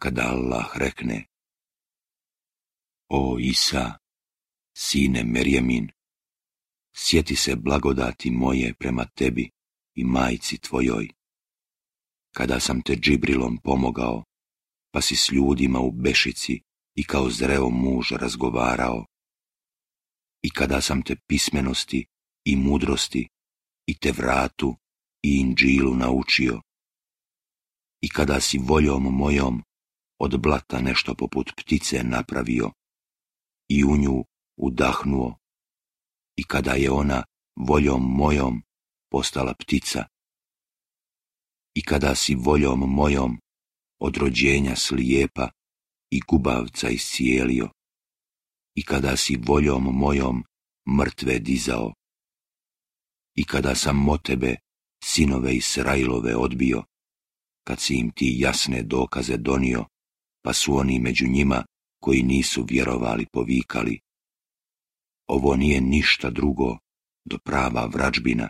kada Allah rekne: O Isa, sine Merjemin, sjeti se blagodati moje prema tebi i majci tvojoj, kada sam te Džibrilom pomogao, pa si s ljudima u Bešici i kao zreo muž razgovarao, i kada sam te pismenosti i mudrosti i Tevratu i Inđilu naučio, i kada si voljom mojom od blata nešto poput ptice napravio i u nju udahnuo, i kada je ona voljom mojom postala ptica, i kada si voljom mojom od rođenja slijepa i gubavca iscijelio, i kada si voljom mojom mrtve dizao, i kada sam o tebe sinove Israilove odbio, kad si im ti jasne dokaze donio, pa su oni među njima koji nisu vjerovali povikali: Ovo nije ništa drugo do prava vrađbina,